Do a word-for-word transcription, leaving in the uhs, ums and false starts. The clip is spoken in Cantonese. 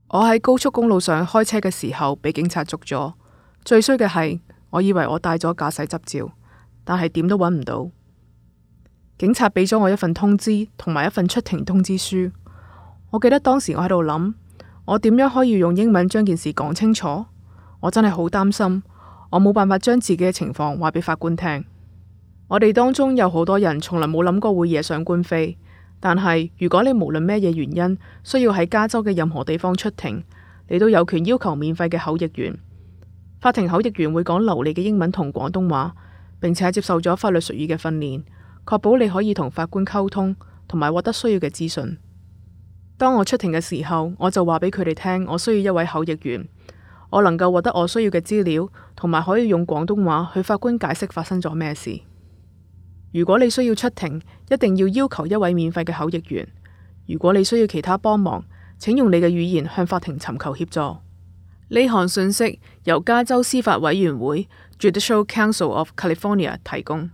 我喺高速公路上開車嘅時候被警察捉咗，最衰嘅係我以為我帶咗駕駛執照，但係點都揾唔到。警察俾咗我一份通知同埋一份出庭通知書。我記得當時我喺度諗，我點樣可以用英文將件事講清楚？我真係好擔心，我冇辦法將自己嘅情況話俾法官聽。我哋當中有好多人從來冇諗過會惹上官非。但係，如果你無論咩嘢原因需要喺加州嘅任何地方出庭，你都有權要求免費嘅口譯員。法庭口譯員會講流利嘅英文同廣東話，並且接受咗法律術語嘅訓練，確保你可以同法官溝通同埋獲得需要嘅資訊。當我出庭嘅時候，我就話俾佢哋聽，我需要一位口譯員，我能夠獲得我需要嘅資料，同埋可以用廣東話去法官解釋發生咗咩事。如果你需要出庭，一定要要求一位免費嘅口譯員。如果你需要其他幫忙，請用你嘅語言向法庭尋求協助。呢項信息由加州司法委員會 Judicial Council of California 提供。